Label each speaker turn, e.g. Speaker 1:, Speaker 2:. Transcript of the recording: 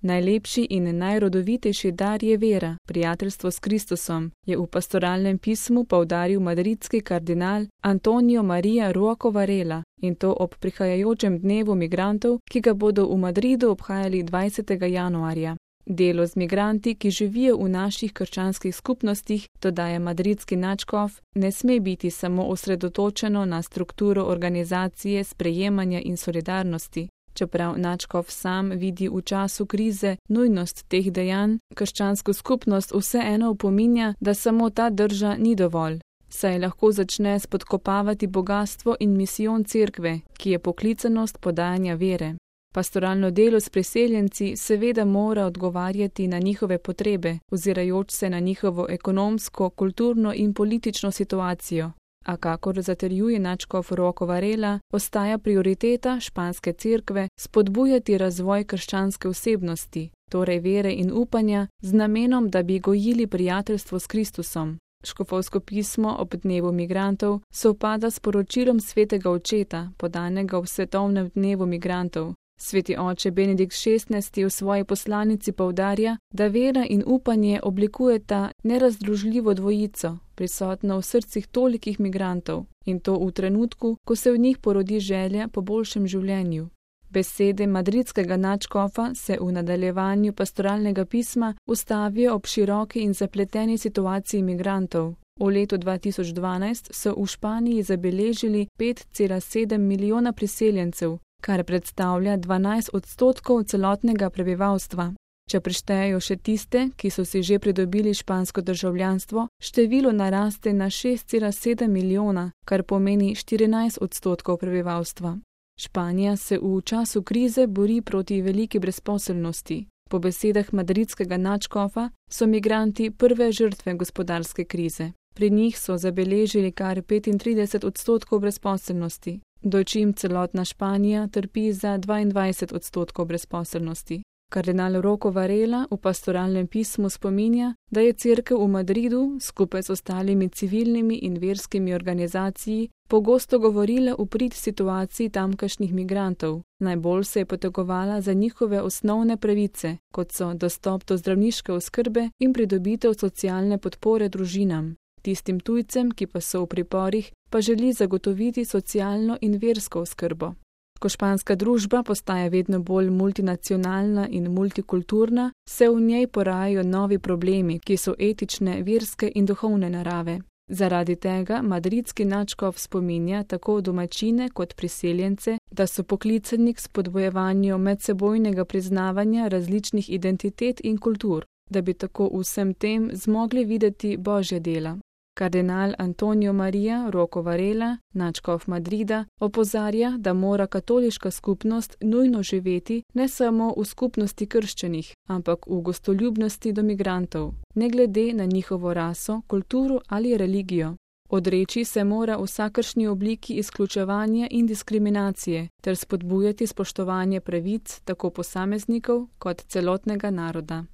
Speaker 1: Najlepši in najrodovitejši dar je vera, prijateljstvo s Kristusom, je v pastoralnem pismu poudaril madridski kardinal Antonio María Rocco Varela, in to ob prihajajočem dnevu migrantov, ki ga bodo v Madridu obhajali 20. januarja. Delo z migranti, ki živijo v naših krščanskih skupnostih, dodaja madridski nadškof, ne sme biti samo osredotočeno na strukturo organizacije, sprejemanja in solidarnosti. Čeprav nadškof sam vidi v času krize nujnost teh dejanj, krščansko skupnost vseeno opominja, da samo ta drža ni dovolj, saj lahko začne spodkopavati bogastvo in misijon cerkve, ki je poklicanost podajanja vere. Pastoralno delo s priseljenci seveda mora odgovarjati na njihove potrebe, ozirajoč se na njihovo ekonomsko, kulturno in politično situacijo. A kakor zatrjuje nadškof Rocco Varela, ostaja prioriteta španske cerkve spodbujati razvoj krščanske osebnosti, torej vere in upanja, z namenom, da bi gojili prijateljstvo s Kristusom. Škofovsko pismo ob dnevu migrantov sovpada s poročilom svetega očeta, podanega v svetovnem dnevu migrantov. Sveti oče Benedikt XVI v svoji poslanici poudarja, da vera in upanje oblikujeta nerazdružljivo dvojico, prisotno v srcih tolikih migrantov, in to v trenutku, ko se v njih porodi želja po boljšem življenju. Besede madridskega nadškofa se v nadaljevanju pastoralnega pisma ustavijo ob široki in zapleteni situaciji migrantov. V letu 2012 so v Španiji zabeležili 5,7 milijona priseljencev, kar predstavlja 12% celotnega prebivalstva. Če preštejejo še tiste, ki so si že pridobili špansko državljanstvo, število naraste na 6,7 milijona, kar pomeni 14% prebivalstva. Španija se v času krize bori proti veliki brezposelnosti. Po besedah madridskega nadškofa so migranti prve žrtve gospodarske krize. Pri njih so zabeležili kar 35% brezposelnosti, dočim celotna Španija trpi za 22% brezposelnosti. Kardinal Rocco Varela v pastoralnem pismu spominja, da je cerkev v Madridu skupaj s ostalimi civilnimi in verskimi organizacijami pogosto govorila v prid situaciji tamkajšnjih migrantov. Najbolj se je potegovala za njihove osnovne pravice, kot so dostop do zdravniške oskrbe in pridobitev socialne podpore družinam. Tistim tujcem, ki pa so v priporih, pa želi zagotoviti socialno in versko oskrbo. Ko španska družba postaja vedno bolj multinacionalna in multikulturna, se v njej porajajo novi problemi, ki so etične, verske in duhovne narave. Zaradi tega madridski nadškof spominja tako domačine kot priseljence, da so poklicani k spodbujevanju medsebojnega priznavanja različnih identitet in kultur, da bi tako vsem tem zmogli videti Božja dela. Kardinal Antonio María Rocco Varela, nadškof Madrida, opozarja, da mora katoliška skupnost nujno živeti ne samo v skupnosti krščanih, ampak v gostoljubnosti do migrantov, ne glede na njihovo raso, kulturo ali religijo. Odreči se mora vsakršni obliki izključevanja in diskriminacije ter spodbujati spoštovanje pravic tako posameznikov kot celotnega naroda.